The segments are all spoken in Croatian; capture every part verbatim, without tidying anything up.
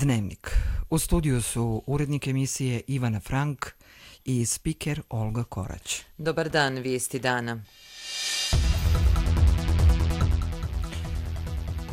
Dnevnik. U studiju su urednik emisije Ivana Frank i spiker Olga Korać. Dobar dan, vijesti dana.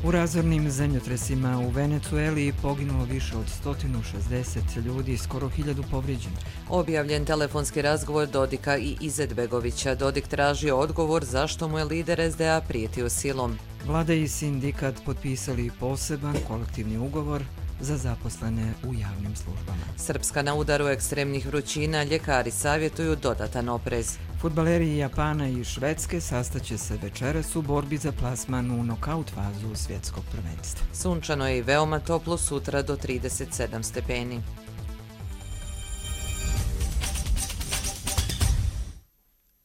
U razornim zemljotresima u Venecueli poginulo više od sto šezdeset ljudi, skoro hiljadu povrijeđenih. Objavljen telefonski razgovor Dodika i Izetbegovića. Dodik tražio odgovor zašto mu je lider es de a prijetio silom. Vlada i sindikat potpisali poseban kolektivni ugovor za zaposlene u javnim službama. Srpska na udaru ekstremnih vrućina, ljekari savjetuju dodatan oprez. Fudbaleri Japana i Švedske sastaće se večeras u borbi za plasman u nokaut fazu svjetskog prvenstva. Sunčano je i veoma toplo, sutra do trideset sedam stepeni.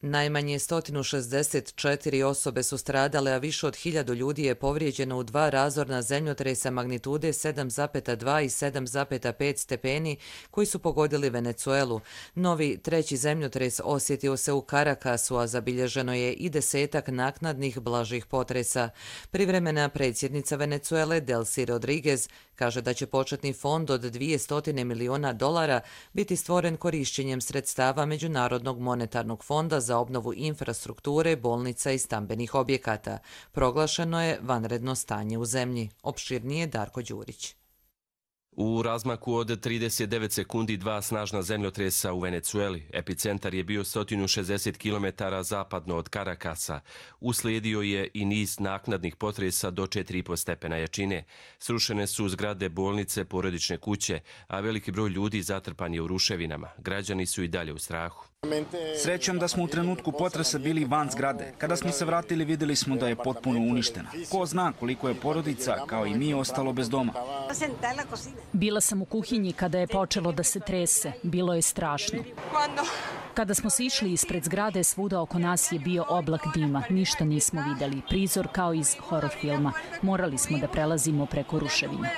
Najmanje sto šezdeset četiri osobe su stradale, a više od hiljadu ljudi je povrijeđeno u dva razorna zemljotresa magnitude sedam zarez dva i sedam zarez pet stepeni koji su pogodili Venecuelu. Novi treći zemljotres osjetio se u Carakasu, a zabilježeno je i desetak naknadnih blažih potresa. Privremena predsjednica Venecuele Delcy Rodriguez kaže da će početni fond od dvjesto miliona dolara biti stvoren korišćenjem sredstava Međunarodnog monetarnog fonda za obnovu infrastrukture, bolnica i stambenih objekata. Proglašeno je vanredno stanje u zemlji. Opširnije Darko Đurić. U razmaku od trideset devet sekundi dva snažna zemljotresa u Venecueli. Epicentar je bio sto šezdeset kilometara zapadno od Carakasa. Uslijedio je i niz naknadnih potresa do četiri i po stepena jačine. Srušene su zgrade bolnice, porodične kuće, a veliki broj ljudi zatrpan je u ruševinama. Građani su i dalje u strahu. Srećom da smo u trenutku potresa bili van zgrade. Kada smo se vratili, vidjeli smo da je potpuno uništena. Ko zna koliko je porodica, kao i mi, ostalo bez doma. Bila sam u kuhinji kada je počelo da se trese. Bilo je strašno. Kada smo se išli ispred zgrade, svuda oko nas je bio oblak dima. Ništa nismo vidjeli. Prizor kao iz horor filma. Morali smo da prelazimo preko ruševina.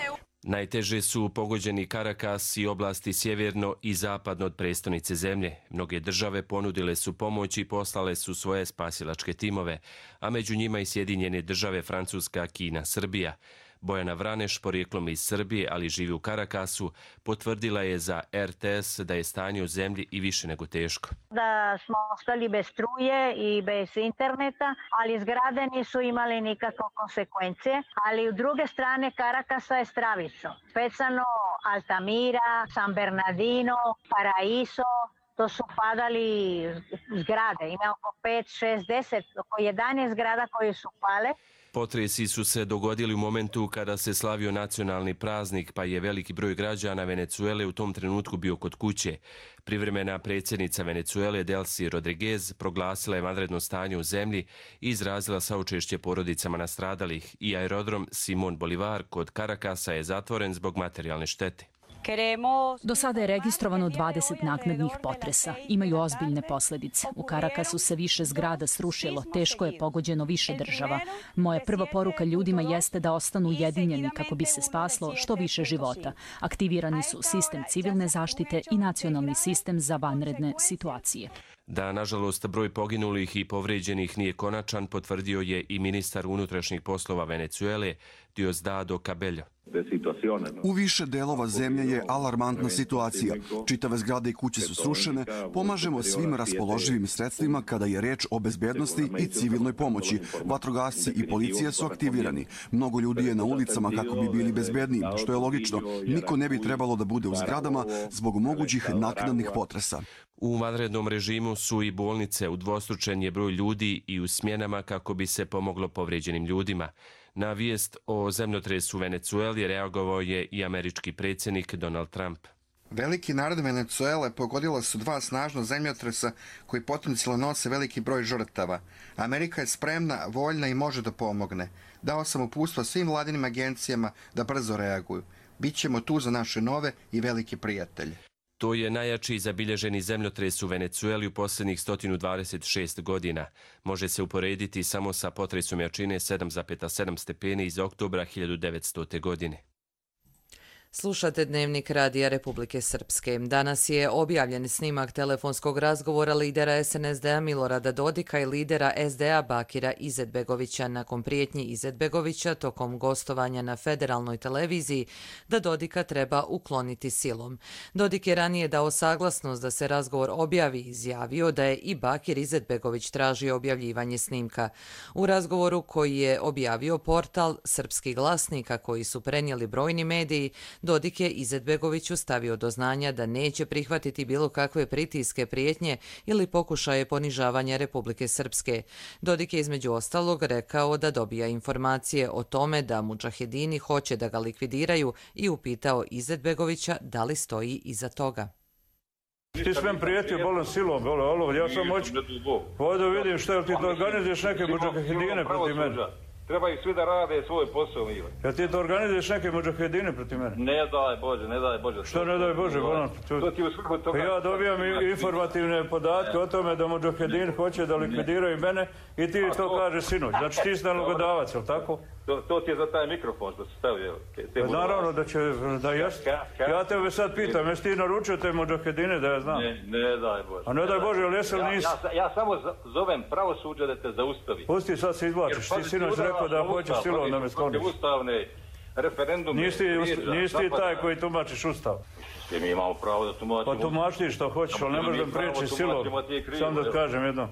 Najteže su pogođeni Caracas i oblasti sjeverno i zapadno od prestonice zemlje. Mnoge države ponudile su pomoć i poslale su svoje spasilačke timove, a među njima i Sjedinjene države, Francuska, Kina, Srbija. Bojana Vraneš, porijeklom iz Srbije, ali živi u Caracasu, potvrdila je za er te es da je stanje u zemlji i više nego teško. Da smo ostali bez struje i bez interneta, ali zgrade nisu imali nikakve konsekvencije. Ali u druge strane Caracasa je stravično. Specijalno Altamira, San Bernardino, Paraíso, to su padali zgrade. Ima oko pet, šest, deset, oko jedanaest zgrada koje su pale. Potresi su se dogodili u momentu kada se slavio nacionalni praznik, pa je veliki broj građana Venecuele u tom trenutku bio kod kuće. Privremena predsjednica Venecuele Delcy Rodriguez proglasila je vanredno stanje u zemlji i izrazila saučešće porodicama nastradalih. I aerodrom Simón Bolívar kod Caracasa je zatvoren zbog materijalne štete. Do sada je registrovano dvadeset naknadnih potresa. Imaju ozbiljne posljedice. U Caracasu se više zgrada srušilo, teško je pogođeno više država. Moja prva poruka ljudima jeste da ostanu ujedinjeni kako bi se spaslo što više života. Aktivirani su sistem civilne zaštite i nacionalni sistem za vanredne situacije. Da, nažalost, broj poginulih i povrijeđenih nije konačan, potvrdio je i ministar unutrašnjih poslova Venecuele, Diosdado Cabello. U više delova zemlje je alarmantna situacija. Čitave zgrade i kuće su srušene. Pomažemo svim raspoloživim sredstvima kada je reč o bezbednosti i civilnoj pomoći. Vatrogasci i policija su aktivirani. Mnogo ljudi je na ulicama kako bi bili bezbedniji, što je logično. Niko ne bi trebalo da bude u zgradama zbog mogućih naknadnih potresa. U vanrednom režimu su i bolnice, udvostručen je broj ljudi i u smjenama kako bi se pomoglo povrijeđenim ljudima. Na vijest o zemljotresu u Venecueli reagovao je i američki predsjednik Donald Trump. Veliki narod Venecuele pogodila su dva snažna zemljotresa koji potencijalno nose veliki broj žrtava. Amerika je spremna, voljna i može da pomogne. Dao sam uputstva svim vladinim agencijama da brzo reaguju. Bićemo tu za naše nove i velike prijatelje. To je najjači zabilježeni zemljotres u Venecueli u posljednjih sto dvadeset šest godina. Može se uporediti samo sa potresom jačine sedam zarez sedam stepeni iz oktobra hiljadu devetstote. godine. Slušate Dnevnik Radija Republike Srpske. Danas je objavljen snimak telefonskog razgovora lidera es en es de a Milorada Dodika i lidera es de a Bakira Izetbegovića nakon prijetnji Izetbegovića tokom gostovanja na federalnoj televiziji da Dodika treba ukloniti silom. Dodik je ranije dao saglasnost da se razgovor objavi i izjavio da je i Bakir Izetbegović tražio objavljivanje snimka. U razgovoru koji je objavio portal Srpski glasnika koji su prenijeli brojni mediji, Dodik je Izetbegoviću stavio do znanja da neće prihvatiti bilo kakve pritiske, prijetnje ili pokušaje ponižavanja Republike Srpske. Dodik je između ostalog rekao da dobija informacije o tome da mudžahedini hoće da ga likvidiraju i upitao Izetbegovića da li stoji iza toga. Ti si meni prijetio bolom silom, bolo, olo, ja sam moć, ovdje vidim što je, ti to organizuješ neke mudžahedine protiv mene. Trebaju svi da rade svoj posao, Mile. Ja ti to organizuješ neke mudžahedine protiv mene? Ne daj Bože, ne daj Bože. Što ne daj Bože, bolan? To ti u svrhu toga... Ja dobijam informativne podatke o tome da mudžahedini hoće da likvidiraju mene i ti to kaže sinoć. Znači ti si nalogodavac, jel tako? To ti je za taj mikrofon što se stavio. Naravno da će, da jest. Ja tebe sad pitam, jesi ti naručio te mudžahedine da ja znam? Ne daj Bože. A ne daj Bože, jel jesi li nisi? Ja samo zovem pravosuđe da te zaustavi. Pusti, sad se izvlačiš. Ti sinoć rekao da hoćeš silom da me skloniš. Ustavne referendume... Nisi ti taj koji tumačiš Ustav. Mi imamo pravo da tumačimo... Pa tumači što hoćeš, ali ne možeš da priječiš silom. Sam da kažem jedno.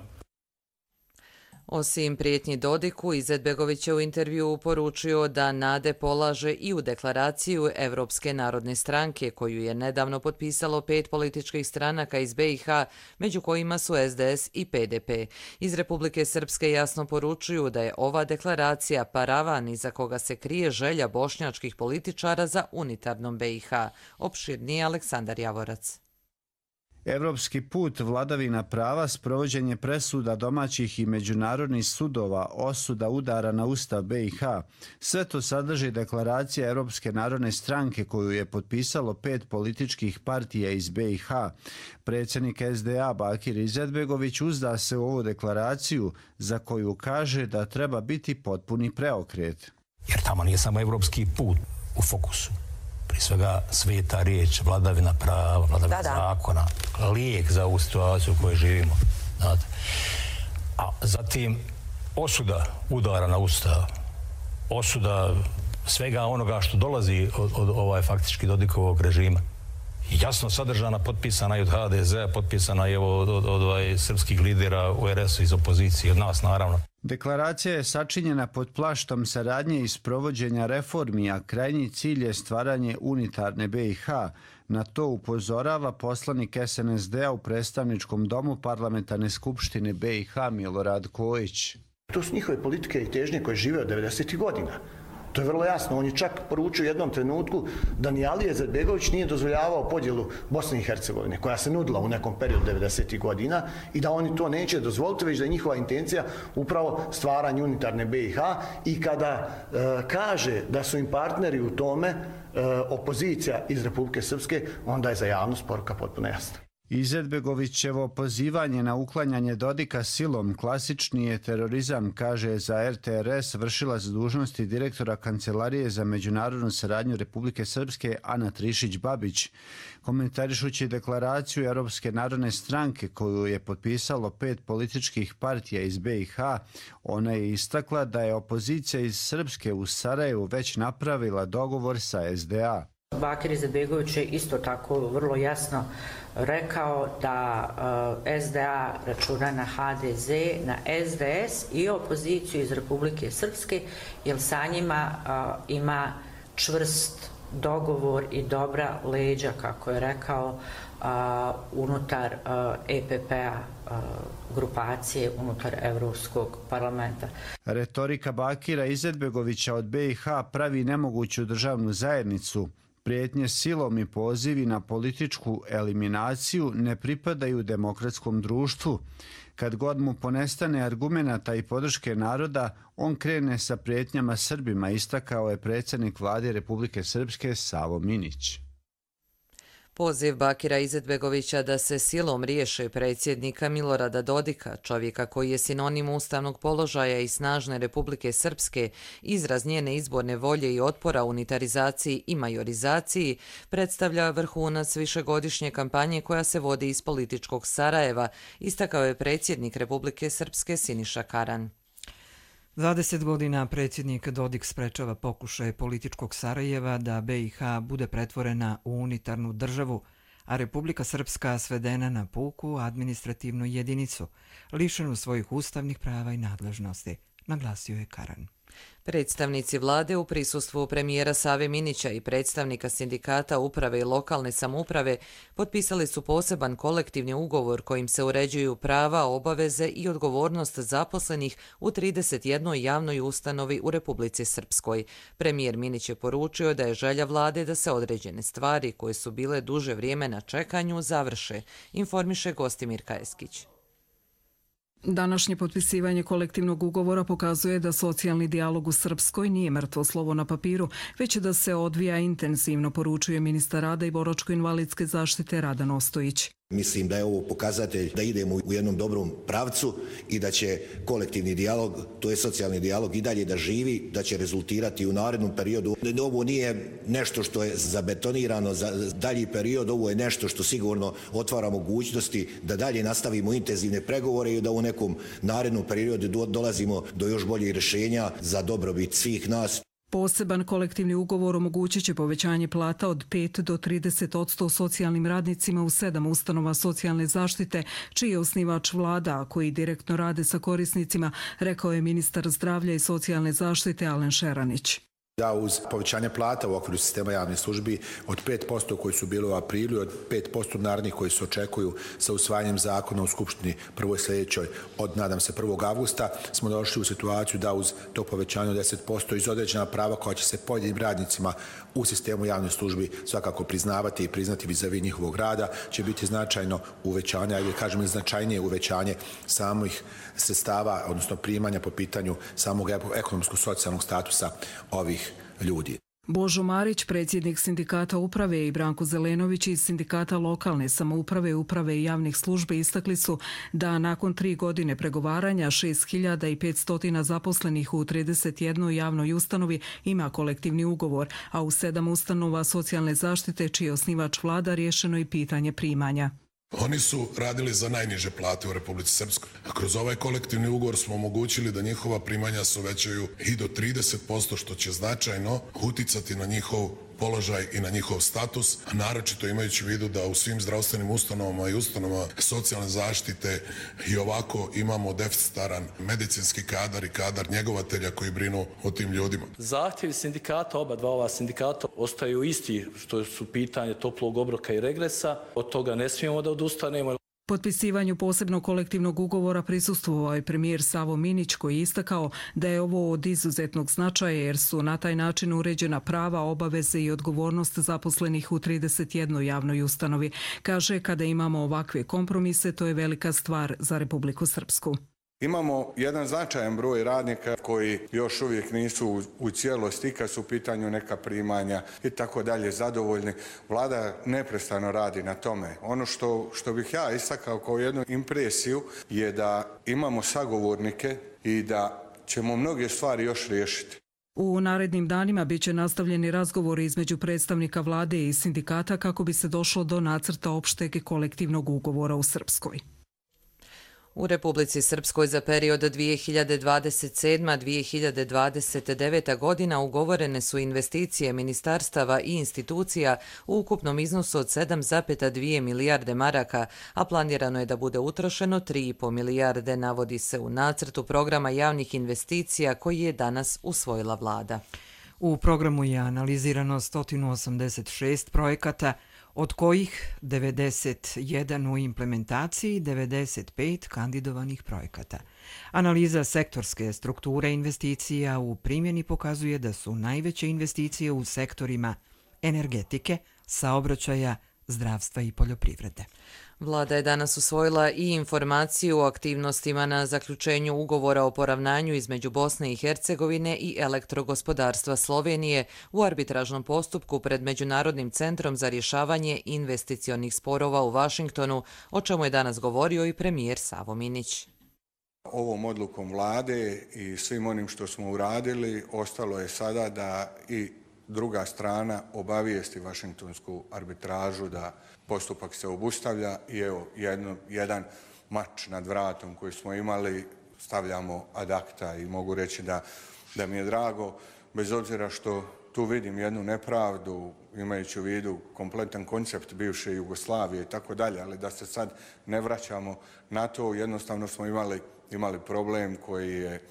Osim prijetnji Dodiku, Izetbegović je u intervjuu poručio da nade polaže i u deklaraciju Evropske narodne stranke, koju je nedavno potpisalo pet političkih stranaka iz be i ha, među kojima su es de es i pe de pe. Iz Republike Srpske jasno poručuju da je ova deklaracija paravan iza koga se krije želja bošnjačkih političara za unitarnom be i ha. Opširnije Aleksandar Javorac. Evropski put, vladavina prava, sprovođenje presuda domaćih i međunarodnih sudova, osuda udara na ustav be i ha. Sve to sadrži deklaracija Evropske narodne stranke koju je potpisalo pet političkih partija iz be i ha. Predsjednik es de a Bakir Izetbegović uzda se u ovu deklaraciju za koju kaže da treba biti potpuni preokret. Jer tamo nije samo evropski put u fokusu. Prije svega sveta riječ, vladavina prava, vladavina da, da. zakona, lijek za ovu situaciju u kojoj živimo. Znate. A zatim osuda udara na ustav, osuda svega onoga što dolazi od, od ovaj faktički Dodikovog režima. Jasno sadržana, potpisana i od ha de zea, potpisana i od, od, od ovaj, srpskih lidera u er esu iz opozicije, od nas naravno. Deklaracija je sačinjena pod plaštom saradnje i sprovođenja reformi, a krajnji cilj je stvaranje unitarne be i ha. Na to upozorava poslanik es en es de a u predstavničkom domu parlamentarne skupštine be i ha Milorad Kojić. To su njihove politike i težnje koje žive od devedesetih godina. To je vrlo jasno. On je čak poručio u jednom trenutku da ni Alija Izetbegović nije dozvoljavao podjelu Bosne i Hercegovine, koja se nudila u nekom periodu devedesetih godina i da oni to neće dozvoliti, već da je njihova intencija upravo stvaranje unitarne be i ha i kada e, kaže da su im partneri u tome e, opozicija iz Republike Srpske, onda je za javnost poruka potpuno jasna. Izetbegovićevo pozivanje na uklanjanje Dodika silom klasični je terorizam, kaže za er te er es vršilac dužnosti direktora Kancelarije za međunarodnu saradnju Republike Srpske Ana Trišić-Babić. Komentarišući deklaraciju Europske narodne stranke koju je potpisalo pet političkih partija iz be i ha, ona je istakla da je opozicija iz Srpske u Sarajevu već napravila dogovor sa es de a. Bakir Izetbegović je isto tako vrlo jasno rekao da uh, es de a računa na ha de ze, na es de es i opoziciju iz Republike Srpske, jer sa njima uh, ima čvrst dogovor i dobra leđa, kako je rekao, uh, unutar uh, e pe pe-a, uh, grupacije, unutar Evropskog parlamenta. Retorika Bakira Izetbegovića od be i ha pravi nemoguću državnu zajednicu. Prijetnje silom i pozivi na političku eliminaciju ne pripadaju demokratskom društvu. Kad god mu ponestane argumenata i podrške naroda, on krene sa prijetnjama Srbima, istakao je predsjednik vlade Republike Srpske Savo Minić. Poziv Bakira Izetbegovića da se silom riješe predsjednika Milorada Dodika, čovjeka koji je sinonim ustavnog položaja i snažne Republike Srpske, izraz njene izborne volje i otpora unitarizaciji i majorizaciji, predstavlja vrhunac višegodišnje kampanje koja se vodi iz političkog Sarajeva, istakao je predsjednik Republike Srpske Siniša Karan. dvadeset godina predsjednik Dodik sprečava pokušaje političkog Sarajeva da B i H bude pretvorena u unitarnu državu, a Republika Srpska svedena na puku administrativnu jedinicu, lišenu svojih ustavnih prava i nadležnosti, naglasio je Karan. Predstavnici vlade u prisustvu premijera Save Minića i predstavnika sindikata uprave i lokalne samouprave potpisali su poseban kolektivni ugovor kojim se uređuju prava, obaveze i odgovornost zaposlenih u trideset jednoj javnoj ustanovi u Republici Srpskoj. Premijer Minić je poručio da je želja vlade da se određene stvari koje su bile duže vrijeme na čekanju završe, informiše Gostimir Kajeskić. Današnje potpisivanje kolektivnog ugovora pokazuje da socijalni dijalog u Srpskoj nije mrtvo slovo na papiru, već da se odvija intenzivno, poručuje ministar rada i boračko-invalidske zaštite Radan Ostojić. Mislim da je ovo pokazatelj da idemo u jednom dobrom pravcu i da će kolektivni dijalog, to je socijalni dijalog, i dalje da živi, da će rezultirati u narednom periodu. Ovo nije nešto što je zabetonirano za dalji period, ovo je nešto što sigurno otvara mogućnosti da dalje nastavimo intenzivne pregovore i da u nekom narednom periodu dolazimo do još boljih rješenja za dobrobit svih nas. Poseban kolektivni ugovor omogućit će povećanje plata od pet do trideset posto socijalnim radnicima u sedam ustanova socijalne zaštite, čiji je osnivač vlada, a koji direktno rade sa korisnicima, rekao je ministar zdravlja i socijalne zaštite Alen Šeranić. Da uz povećanje plata u okviru sistema javnih službi od pet posto koji su bili u aprilu i od pet posto narednih koji se očekuju sa usvajanjem zakona u Skupštini prvoj sljedećoj od, nadam se, prvog avgusta, smo došli u situaciju da uz to povećanje od deset posto iz određena prava koja će se pojedinim radnicima u sistemu javnih službi svakako priznavati i priznati vizavi njihovog rada, će biti značajno uvećanje, ajde kažemo značajnije uvećanje samih sredstava, odnosno primanja po pitanju samog ekonomsko-socijalnog statusa ovih ljudi. Božo Marić, predsjednik sindikata uprave, i Branko Zelenović iz sindikata lokalne samouprave, uprave i javnih službi istakli su da nakon tri godine pregovaranja šest hiljada petsto zaposlenih u trideset jednoj javnoj ustanovi ima kolektivni ugovor, a u sedam ustanova socijalne zaštite, čiji je osnivač vlada, riješeno i pitanje primanja. Oni su radili za najniže plate u Republici Srpskoj. A kroz ovaj kolektivni ugovor smo omogućili da njihova primanja se uvećaju i do trideset posto, što će značajno uticati na njihov položaj i na njihov status, a naročito imajući u vidu da u svim zdravstvenim ustanovama i ustanovama socijalne zaštite i ovako imamo deficitaran medicinski kadar i kadar njegovatelja koji brinu o tim ljudima. Zahtjevi sindikata, oba dva ova sindikata, ostaju isti, što su pitanje toplog obroka i regresa. Od toga ne smijemo da odustanemo. Potpisivanju posebnog kolektivnog ugovora prisustvovao je premijer Savo Minić, koji je istakao da je ovo od izuzetnog značaja jer su na taj način uređena prava, obaveze i odgovornost zaposlenih u trideset jednoj javnoj ustanovi. Kaže, kada imamo ovakve kompromise, to je velika stvar za Republiku Srpsku. Imamo jedan značajan broj radnika koji još uvijek nisu u cijelosti, kad su u pitanju neka primanja i tako dalje zadovoljni. Vlada neprestano radi na tome. Ono što, što bih ja istakao kao jednu impresiju je da imamo sagovornike i da ćemo mnoge stvari još riješiti. U narednim danima bit će nastavljeni razgovori između predstavnika vlade i sindikata kako bi se došlo do nacrta opšteg kolektivnog ugovora u Srpskoj. U Republici Srpskoj za period dvije hiljade dvadeset sedma do dvije hiljade dvadeset deveta godina ugovorene su investicije ministarstava i institucija u ukupnom iznosu od sedam zarez dvije milijarde maraka, a planirano je da bude utrošeno tri zarez pet milijarde, navodi se u nacrtu programa javnih investicija koji je danas usvojila vlada. U programu je analizirano sto osamdeset šest projekata, od kojih devedeset jedan u implementaciji i devedeset pet kandidovanih projekata. Analiza sektorske strukture investicija u primjeni pokazuje da su najveće investicije u sektorima energetike, saobraćaja, zdravstva i poljoprivrede. Vlada je danas usvojila i informaciju o aktivnostima na zaključenju ugovora o poravnanju između Bosne i Hercegovine i elektrogospodarstva Slovenije u arbitražnom postupku pred Međunarodnim centrom za rješavanje investicionih sporova u Vašingtonu, o čemu je danas govorio i premijer Savo Minić. Ovom odlukom vlade i svim onim što smo uradili, ostalo je sada da i druga strana obavijesti Vašingtonsku arbitražu da postupak se obustavlja i evo jedno, jedan mač nad vratom koji smo imali stavljamo ad acta i mogu reći da, da mi je drago, bez obzira što tu vidim jednu nepravdu, imajući u vidu kompletan koncept bivše Jugoslavije i tako dalje, ali da se sad ne vraćamo na to, jednostavno smo imali, imali problem koji je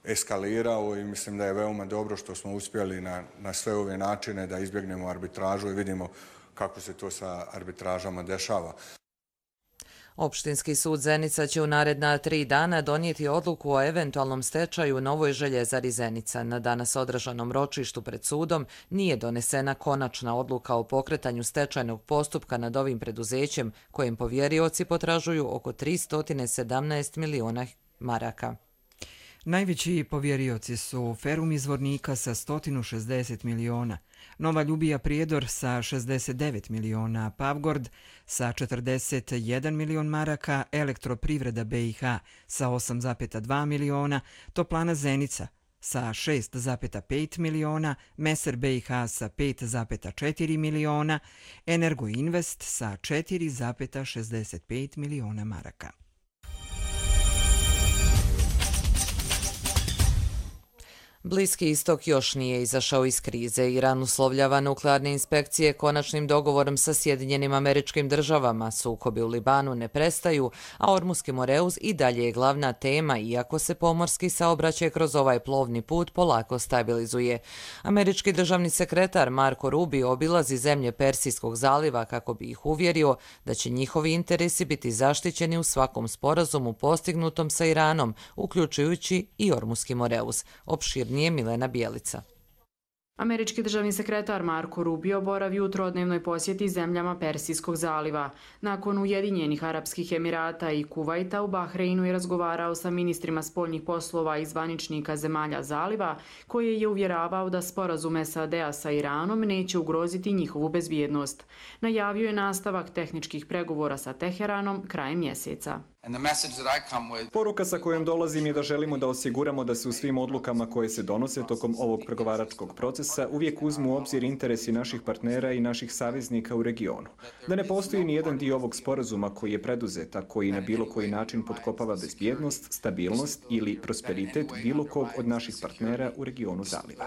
eskalirao i mislim da je veoma dobro što smo uspjeli na, na sve ove načine da izbjegnemo arbitražu i vidimo kako se to sa arbitražama dešava. Opštinski sud Zenica će u naredna tri dana donijeti odluku o eventualnom stečaju Novoj Željezari Zenica. Na danas održanom ročištu pred sudom nije donesena konačna odluka o pokretanju stečajnog postupka nad ovim preduzećem, kojem povjerioci potražuju oko tristo sedamnaest miliona maraka. Najveći povjerioci su Ferum iz Zvornika sa sto šezdeset miliona, Nova Ljubija Prijedor sa šezdeset devet miliona, Pavgord sa četrdeset jedan milion maraka, Elektroprivreda B i H sa osam zarez dva miliona, Toplana Zenica sa šest zarez pet miliona, Meser B i H sa pet zarez četiri miliona, Energoinvest sa četiri zarez šezdeset pet miliona maraka. Bliski istok još nije izašao iz krize. Iran uslovljava nuklearne inspekcije konačnim dogovorom sa Sjedinjenim Američkim Državama. Sukobi u Libanu ne prestaju, a Ormuski Moreuz i dalje je glavna tema, iako se pomorski saobraćaj kroz ovaj plovni put polako stabilizuje. Američki državni sekretar Marko Rubio obilazi zemlje Persijskog zaliva kako bi ih uvjerio da će njihovi interesi biti zaštićeni u svakom sporazumu postignutom sa Iranom, uključujući i Ormuski Moreuz. Opširnije Milena Bijelica. Američki državni sekretar Marko Rubio boravi u trodnevnoj posjeti zemljama Persijskog zaliva. Nakon Ujedinjenih Arapskih Emirata i Kuvajta u Bahreinu je razgovarao sa ministrima spoljnih poslova i zvaničnika zemalja zaliva, koje je uvjeravao da sporazum S A D-a sa Iranom neće ugroziti njihovu bezbjednost. Najavio je nastavak tehničkih pregovora sa Teheranom krajem mjeseca. Poruka sa kojom dolazim je da želimo da osiguramo da se u svim odlukama koje se donose tokom ovog pregovaračkog procesa uvijek uzmu u obzir interesi naših partnera i naših saveznika u regionu. Da ne postoji ni jedan dio ovog sporazuma koji je preduzet, a koji na bilo koji način potkopava bezbjednost, stabilnost ili prosperitet bilo kog od naših partnera u regionu zaliva.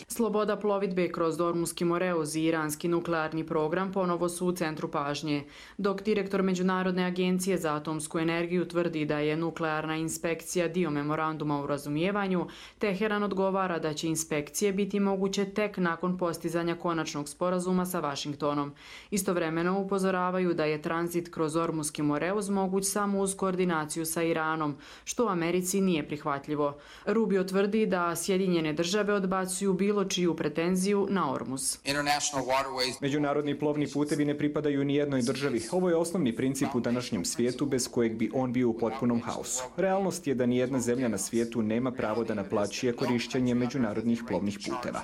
Sloboda plovidbe kroz Ormuski Moreuz i iranski nuklearni program ponovo su u centru pažnje, dok direktor Međunarodne agencije za atomsku energiju tvrdi da je nuklearna inspekcija dio memoranduma o razumijevanju, Teheran odgovara da će inspekcije biti moguće tek nakon postizanja konačnog sporazuma sa Vašingtonom. Istovremeno upozoravaju da je tranzit kroz Ormuski Moreuz moguć samo uz koordinaciju sa Iranom, što Americi nije prihvatljivo. Rubio tvrdi da Sjedinjene države odbacuju bilo čiju pretenziju na Ormuz. Međunarodni plovni putevi ne pripadaju ni jednoj državi. Ovo je osnovni princip u današnjem svijetu bez kojeg bi on bio u potpunom haosu. Realnost je da ni jedna zemlja na svijetu nema pravo da naplaćuje korišćenje međunarodnih plovnih puteva.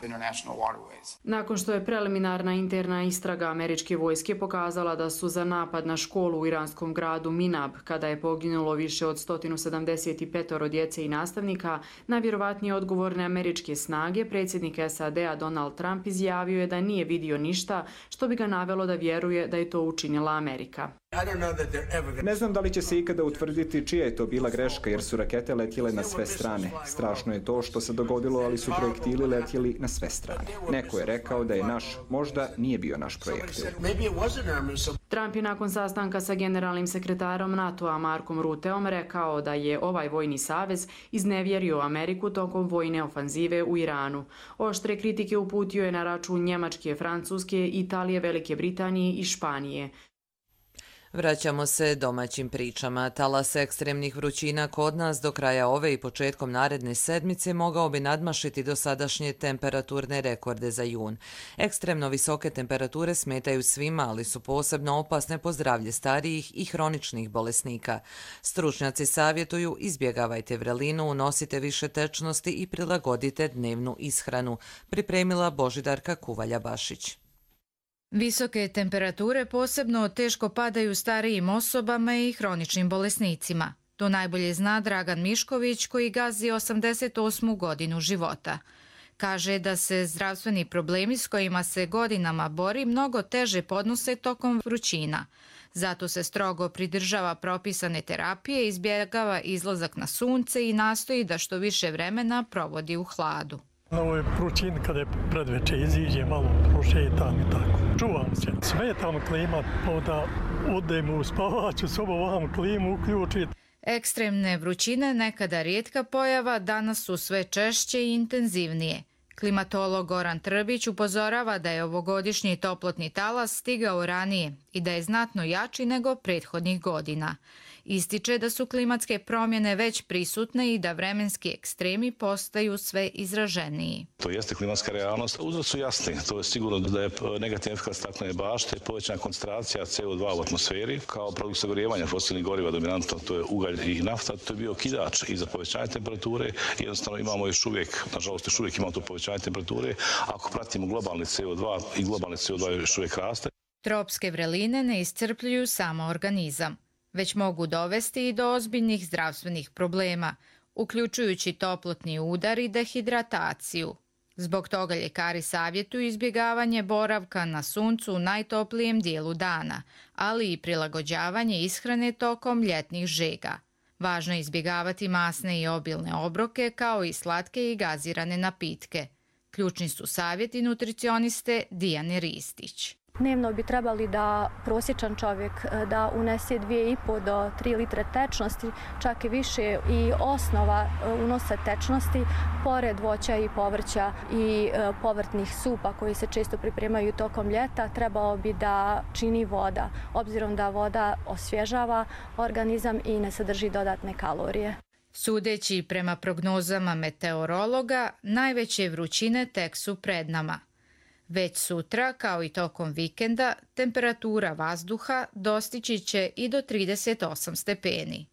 Nakon što je preliminarna interna istraga američke vojske pokazala da su za napad na školu u iranskom gradu Minab, kada je poginulo više od sto sedamdeset pet djece i nastavnika, najvjerovatnije odgovorne američke snage, predsjednik S A D-a Donald Trump izjavio je da nije vidio ništa što bi ga navelo da vjeruje da je to učinila Amerika. Ne znam da li će se ikada utvrditi čija je to bila greška, jer su rakete letjele na sve strane. Strašno je to što se dogodilo, ali su projektili letjeli na sve strane. Neko je rekao da je naš, možda nije bio naš projektil. Trump je nakon sastanka sa generalnim sekretarom NATO-a Markom Ruteom rekao da je ovaj vojni savez iznevjerio Ameriku tokom vojne ofanzive u Iranu. Oštre kritike uputio je na račun Njemačke, Francuske, Italije, Velike Britanije i Španije. Vraćamo se domaćim pričama. Talas ekstremnih vrućina kod nas do kraja ove i početkom naredne sedmice mogao bi nadmašiti dosadašnje temperaturne rekorde za jun. Ekstremno visoke temperature smetaju svima, ali su posebno opasne po zdravlje starijih i hroničnih bolesnika. Stručnjaci savjetuju izbjegavajte vrelinu, unosite više tečnosti i prilagodite dnevnu ishranu, pripremila Božidarka Kuvalja-Bašić. Visoke temperature posebno teško padaju starijim osobama i hroničnim bolesnicima. To najbolje zna Dragan Mišković koji gazi osamdeset osmu godinu života. Kaže da se zdravstveni problemi s kojima se godinama bori mnogo teže podnose tokom vrućina. Zato se strogo pridržava propisane terapije, izbjegava izlazak na sunce i nastoji da što više vremena provodi u hladu. Na ovoj vrućini kada je predveče iziđe, malo prošetam i tako. Čuvam se. Smetam klimat, pa da odem u spavaću sobu, vam klimu uključiti. Ekstremne vrućine, nekada rijetka pojava, danas su sve češće i intenzivnije. Klimatolog Goran Trbić upozorava da je ovogodišnji toplotni talas stigao ranije i da je znatno jači nego prethodnih godina. Ističe da su klimatske promjene već prisutne i da vremenski ekstremi postaju sve izraženiji. To jeste klimatska realnost. Uzrok su jasni. To je sigurno da je negativni efekt staklene bašte, povećana koncentracija C O dva u atmosferi, kao produkt sagorijevanja fosilnih goriva dominantno, to je ugalj i nafta, to je bio okidač i za povećanje temperature. Jednostavno imamo još uvijek, nažalost još uvijek imamo to povećanje temperature. Ako pratimo globalni C O dva i globalni C O dva još uvijek raste. Tropske vreline ne iscrpljuju samo organizam, već mogu dovesti i do ozbiljnih zdravstvenih problema, uključujući toplotni udar i dehidrataciju. Zbog toga ljekari savjetuju izbjegavanje boravka na suncu u najtoplijem dijelu dana, ali i prilagođavanje ishrane tokom ljetnih žega. Važno je izbjegavati masne i obilne obroke, kao i slatke i gazirane napitke. Ključni su savjeti nutricioniste Dijane Ristić. Dnevno bi trebali da prosječan čovjek da unese dvije i po do tri litre tečnosti, čak i više, i osnova unosa tečnosti, pored voća i povrća i povrtnih supa koji se često pripremaju tokom ljeta, trebalo bi da čini voda, obzirom da voda osvježava organizam i ne sadrži dodatne kalorije. Sudeći prema prognozama meteorologa, najveće vrućine tek su pred nama. Već sutra, kao i tokom vikenda, temperatura vazduha dostići će i do trideset osam stepeni.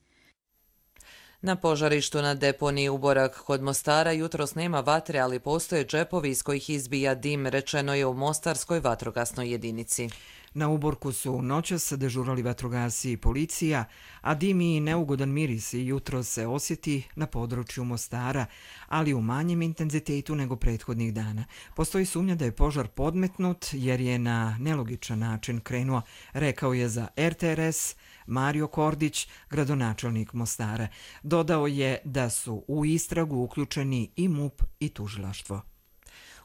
Na požarištu na deponiji Uborak kod Mostara jutros nema vatre, ali postoje džepovi iz kojih izbija dim, rečeno je u Mostarskoj vatrogasnoj jedinici. Na Uborku su noćas dežurali vatrogasci i policija, a dim i neugodan miris jutro se osjeti na području Mostara, ali u manjem intenzitetu nego prethodnih dana. Postoji sumnja da je požar podmetnut jer je na nelogičan način krenuo, rekao je za R T R S Mario Kordić, gradonačelnik Mostara. Dodao je da su u istragu uključeni i MUP i tužilaštvo.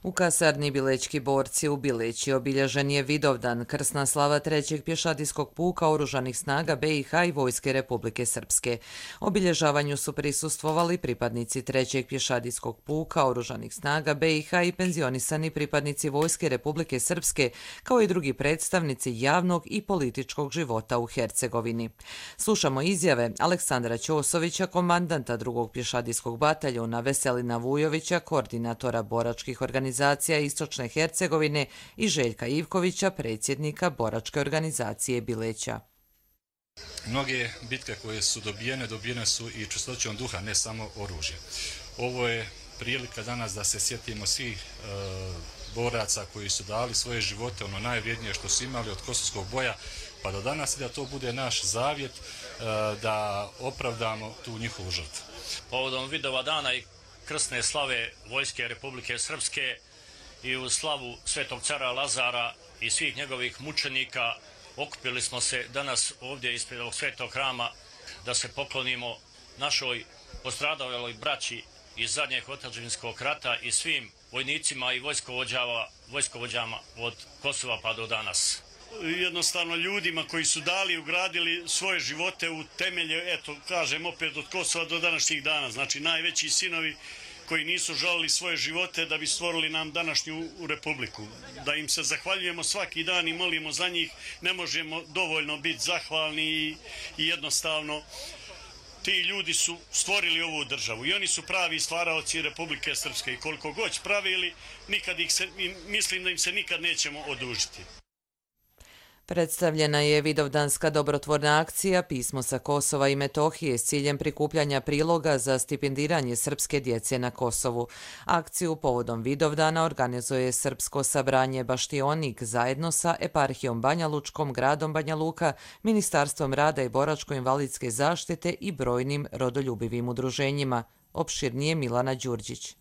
U kasarni Bilećki borci u Bileći obilježen je Vidovdan, krsna slava trećeg pješadijskog puka Oružanih snaga B i H i Vojske Republike Srpske. Obilježavanju su prisustvovali pripadnici trećeg pješadijskog puka Oružanih snaga B i H i penzionisani pripadnici Vojske Republike Srpske, kao i drugi predstavnici javnog i političkog života u Hercegovini. Slušamo izjave Aleksandra Ćosovića, komandanta drugog pješadijskog bataljuna, Veselina Vujovića, koordinatora boračkih organizacija Istočne Hercegovine i Željka Ivkovića, predsjednika boračke organizacije Bileća. Mnoge bitke koje su dobijene, dobijene su i čistoćom duha, ne samo oružje. Ovo je prilika danas da se sjetimo svih e, boraca koji su dali svoje živote, ono najvrijednije što su imali od kosovskog boja pa do danas, i da to bude naš zavjet e, da opravdamo tu njihovu žrtvu. Povodom Vidova dana i krsne slave Vojske Republike Srpske i u slavu Svetog cara Lazara i svih njegovih mučenika okupili smo se danas ovdje ispred ovog svetog hrama da se poklonimo našoj postradaloj braći iz zadnjeg otadžbinskog rata i svim vojnicima i vojskovođama od Kosova pa do danas. Jednostavno ljudima koji su dali i ugradili svoje živote u temelje, eto kažem opet od Kosova do današnjih dana, znači najveći sinovi koji nisu žalili svoje živote da bi stvorili nam današnju republiku. Da im se zahvaljujemo svaki dan i molimo za njih, ne možemo dovoljno biti zahvalni i, i jednostavno ti ljudi su stvorili ovu državu i oni su pravi stvaraoci Republike Srpske i koliko god pravili, nikad ih se, mislim da im se nikad nećemo odužiti. Predstavljena je vidovdanska dobrotvorna akcija Pismo sa Kosova i Metohije s ciljem prikupljanja priloga za stipendiranje srpske djece na Kosovu. Akciju povodom Vidovdana organizuje Srpsko sabranje Baštionik zajedno sa Eparhijom Banja Lučkom, gradom Banja Luka, Ministarstvom rada i boračko-invalidske zaštite i brojnim rodoljubivim udruženjima. Opširnije Milana Đurđić.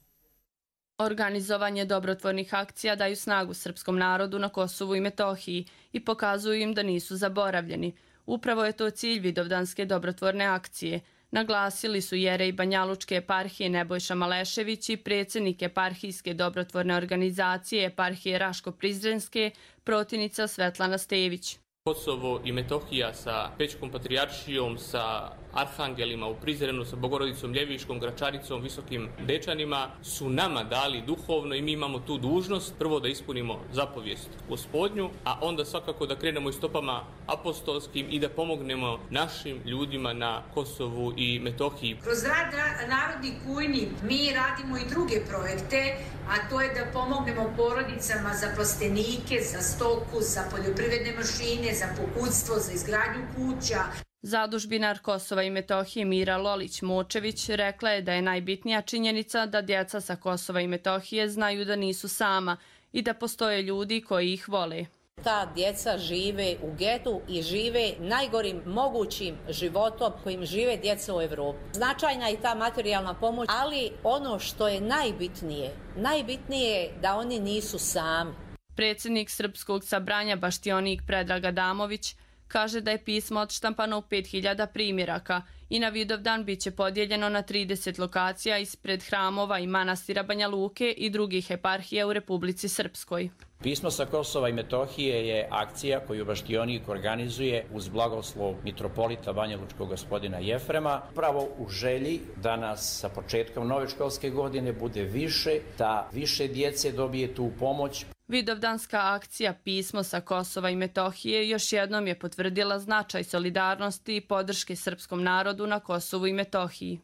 Organizovanje dobrotvornih akcija daju snagu srpskom narodu na Kosovu i Metohiji i pokazuju im da nisu zaboravljeni. Upravo je to cilj vidovdanske dobrotvorne akcije. Naglasili su jerej Banja Lučke eparhije Nebojša Malešević i predsjednik eparhijske dobrotvorne organizacije eparhije Raško-Prizrenske, protivnica Svetlana Stević. Kosovo i Metohija sa Pećkom patrijaršijom, sa arhangelima u Prizrenu, sa Bogorodicom Ljeviškom, Gračaricom, Visokim Dečanima su nama dali duhovno i mi imamo tu dužnost prvo da ispunimo zapovijest Gospodnju, a onda svakako da krenemo i stopama apostolskim i da pomognemo našim ljudima na Kosovu i Metohiji. Kroz rad Narodni kujni mi radimo i druge projekte, a to je da pomognemo porodicama za plastenike, za stoku, za poljoprivredne mašine, za pokućstvo, za izgradnju kuća. Zadužbinar Kosova i Metohije Mira Lolić-Močević rekla je da je najbitnija činjenica da djeca sa Kosova i Metohije znaju da nisu sama i da postoje ljudi koji ih vole. Ta djeca žive u getu i žive najgorim mogućim životom kojim žive djeca u Evropi. Značajna je ta materijalna pomoć, ali ono što je najbitnije, najbitnije je da oni nisu sami. Predsjednik Srpskog sabranja Baštionik Predrag Adamović kaže da je pismo odštampano u pet hiljada primjeraka i na Vidovdan bit će podijeljeno na trideset lokacija ispred hramova i manastira Banja Luke i drugih eparhija u Republici Srpskoj. Pismo sa Kosova i Metohije je akcija koju Baštionik organizuje uz blagoslov mitropolita Banja Lučkog gospodina Jefrema, upravo u želji da nas sa početkom nove školske godine bude više, da više djece dobije tu pomoć. Vidovdanska akcija Pismo sa Kosova i Metohije još jednom je potvrdila značaj solidarnosti i podrške srpskom narodu na Kosovu i Metohiji.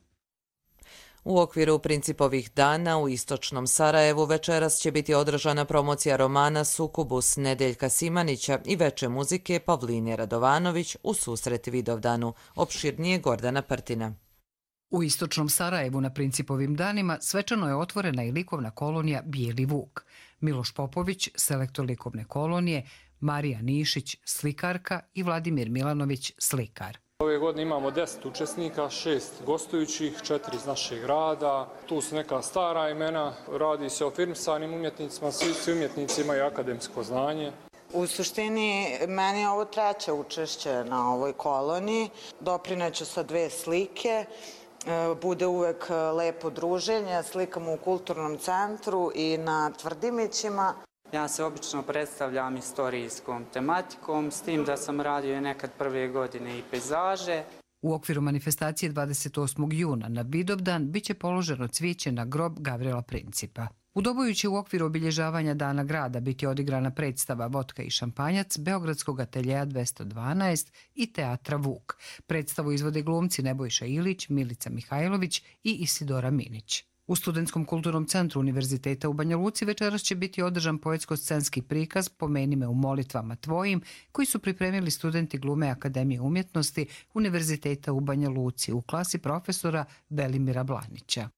U okviru Principovih dana u istočnom Sarajevu večeras će biti održana promocija romana Sukubus Nedeljka Simanića i veče muzike Pavline Radovanović u susret Vidovdanu. Opširnije Gordana Prtina. U istočnom Sarajevu na Principovim danima svečano je otvorena i likovna kolonija Bijeli Vuk. Miloš Popović, selektor likovne kolonije, Marija Nišić, slikarka i Vladimir Milanović, slikar. Ove godine imamo deset učesnika, šest gostujućih, četiri iz našeg grada. Tu su neka stara imena, radi se o filmsanim umjetnicima, svi umjetnici imaju akademsko znanje. U suštini, meni je ovo treće učešće na ovoj koloniji. Doprineću sa dve slike. Bude uvek lepo druženje, slikamo u kulturnom centru i na Tvrdimićima. Ja se obično predstavljam istorijskom tematikom, s tim da sam radio nekad prve godine i pejzaže. U okviru manifestacije dvadeset osmog juna na Vidovdan biće položeno cvijeće na grob Gavrila Principa. U Doboju će u okviru obilježavanja Dana grada biti odigrana predstava Votka i šampanjac Beogradskog ateljeja dvesta dvanaest i Teatra Vuk. Predstavu izvode glumci Nebojša Ilić, Milica Mihajlović i Isidora Minić. U Studentskom kulturnom centru Univerziteta u Banja Luci večeras će biti održan poetsko-scenski prikaz Pomeni me u molitvama tvojim, koji su pripremili studenti glume Akademije umjetnosti Univerziteta u Banja Luci u klasi profesora Velimira Blanića.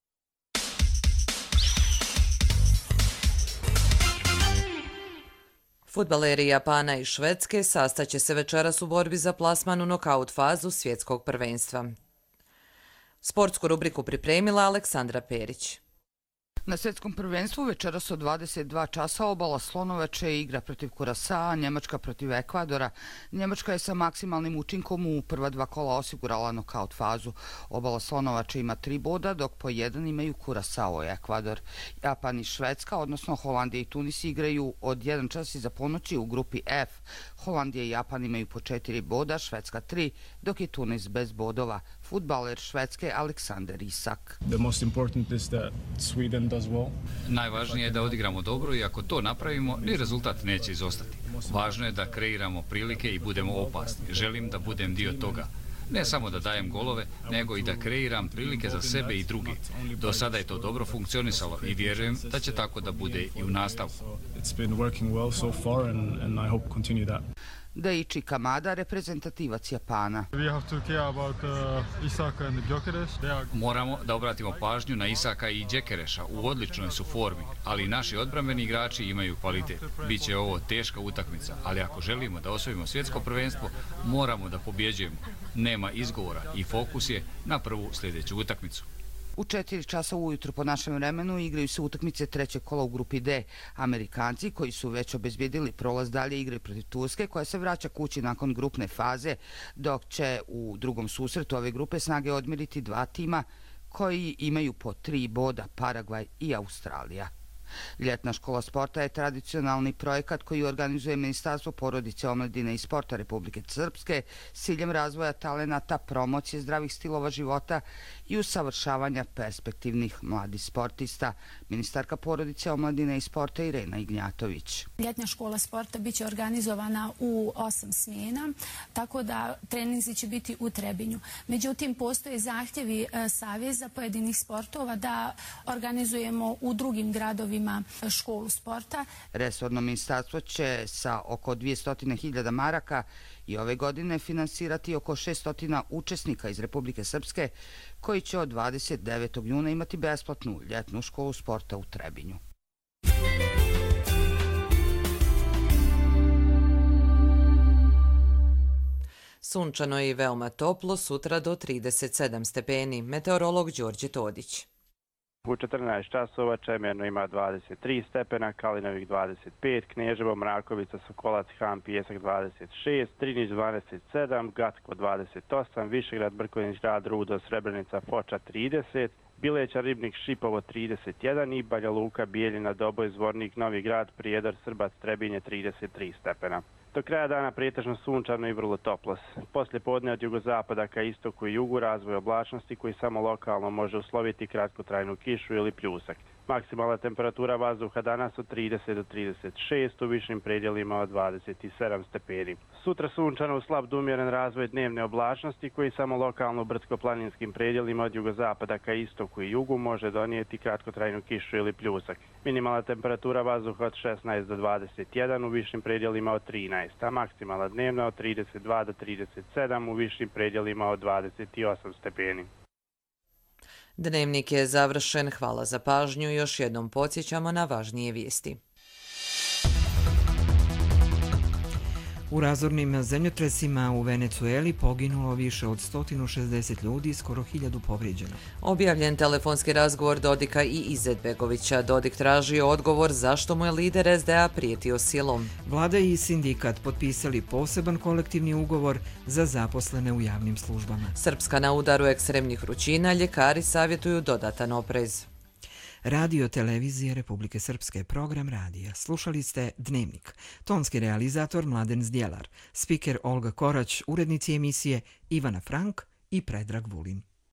Fudbaleri Japana i Švedske sastaće se večeras u borbi za plasman u nokaut fazu svjetskog prvenstva. Sportsku rubriku pripremila Aleksandra Perić. Na svjetskom prvenstvu večeras od dvadeset dva časa obala Slonovače igra protiv Kurasaa, Njemačka protiv Ekvadora. Njemačka je sa maksimalnim učinkom u prva dva kola osigurala nokaut fazu. Obala Slonovače ima tri boda, dok po jedan imaju Kurasao i Ekvador. Japan i Švedska, odnosno Holandija i Tunis, igraju od jedan čas iza ponoći u grupi F. Holandija i Japan imaju po četiri boda, Švedska tri, dok je Tunis bez bodova. Fudbaler Švedske Aleksander Isak. Najvažnije je da odigramo dobro i ako to napravimo, ni rezultat neće izostati. Važno je da kreiramo prilike i budemo opasni. Želim da budem dio toga. Ne samo da dajem golove, nego i da kreiram prilike za sebe i druge. Do sada je to dobro funkcionisalo i vjerujem da će tako da bude i u nastavku. Daichi Kamada, reprezentativac Japana. Moramo da obratimo pažnju na Isaka i Džekereša. U odličnoj su formi, ali naši odbrambeni igrači imaju kvalitet. Biće ovo teška utakmica, ali ako želimo da osvojimo svjetsko prvenstvo, moramo da pobjeđujemo. Nema izgovora i fokus je na prvu sljedeću utakmicu. U četiri časa ujutro po našem vremenu igraju se utakmice trećeg kola u grupi D. Amerikanci, koji su već obezbijedili prolaz dalje, igraju protiv Turske, koja se vraća kući nakon grupne faze, dok će u drugom susretu ove grupe snage odmjeriti dva tima koji imaju po tri boda, Paragvaj i Australija. Ljetna škola sporta je tradicionalni projekat koji organizuje Ministarstvo porodice, omladine i sporta Republike Srpske s ciljem razvoja talenata, promocije zdravih stilova života i usavršavanja perspektivnih mladih sportista. Ministarka porodice, omladine i sporta Irena Ignjatović. Ljetna škola sporta biće organizovana u osam smjena, tako da treninzi će biti u Trebinju. Međutim, postoje zahtjevi saveza pojedinih sportova da organizujemo u drugim gradovima školu sporta. Resorno ministarstvo će sa oko dvjesto hiljada maraka i ove godine finansirati oko šesto učesnika iz Republike Srpske koji će od dvadeset devetog juna imati besplatnu ljetnu školu sporta u Trebinju. Sunčano i veoma toplo, sutra do trideset sedam stepeni. Meteorolog Đorđe Todić. U četrnaest časova Čemerno ima dvadeset tri stepena, Kalinovik dvadeset pet, Kneževo, Mrakovica, Sokolac, Han, Pijesak dvadeset šest, Trinić dvadeset sedam, Gatko dvadeset osam, Višegrad, Brkovinić, Grad, Rudo, Srebrenica, Foča trideset, Bileća, Ribnik, Šipovo trideset jedan i Banja Luka, Bijeljina, Doboj, Zvornik, Novi Grad, Prijedor, Srbac, Trebinje trideset tri stepena. Do kraja dana pretežno sunčano i vrlo toplo. Poslije podne od jugozapada ka istoku i jugu razvoj oblačnosti koji samo lokalno može usloviti kratkotrajnu kišu ili pljusak. Maksimalna temperatura vazduha danas od trideset do trideset šest, u višim predjelima od dvadeset sedam stepeni. Sutra sunčano u slab do umjeren razvoj dnevne oblačnosti koji samo lokalno u brdsko-planinskim predjelima od jugozapada ka istoku i jugu može donijeti kratkotrajnu kišu ili pljusak. Minimalna temperatura vazduha od šesnaest do dvadeset jedan, u višim predjelima od trinaest, a maksimalna dnevna od trideset dva do trideset sedam, u višim predjelima od dvadeset osam stepeni. Dnevnik je završen. Hvala za pažnju. Još jednom podsjećamo na važnije vijesti. U razornim zemljotresima u Venecueli poginulo više od sto šezdeset ljudi i skoro hiljadu povrijeđeno. Objavljen telefonski razgovor Dodika i Izetbegovića. Dodik tražio odgovor zašto mu je lider es de a prijetio silom. Vlada i sindikat potpisali poseban kolektivni ugovor za zaposlene u javnim službama. Srpska na udaru ekstremnih vrućina, ljekari savjetuju dodatan oprez. Radio televizije Republike Srpske, program radija. Slušali ste Dnevnik. Tonski realizator Mladen Zdjelar, spiker Olga Korać, urednici emisije Ivana Frank i Predrag Vulin.